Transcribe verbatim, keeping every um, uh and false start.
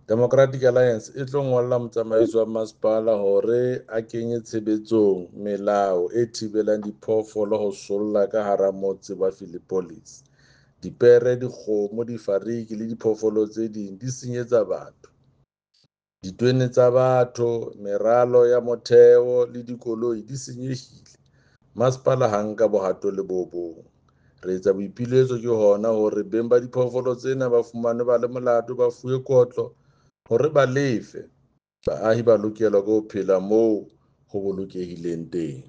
Democratic Alliance e tlo ngolla motsamaisi wa masepala hore a kenye tshebetsong melao e thibelang diphoofolo ho solla ka hara motse wa Philippolis. Dipere, dikgomo, difariki le diphoofolo tse ding di senyetsa batho. Ditwene tsa batho, meralo ya motheo le dikoloi di senyehile. Masepala ha nka bohato le bo bong. Re etsa boipiletso ke hona hore beng ba diphoofolo tsena ba fumanwe ba le molato, ba fuwe kotlo hore ba lefe. Baahi ba lokelwa ke ho phela moo ho bolokehileng teng.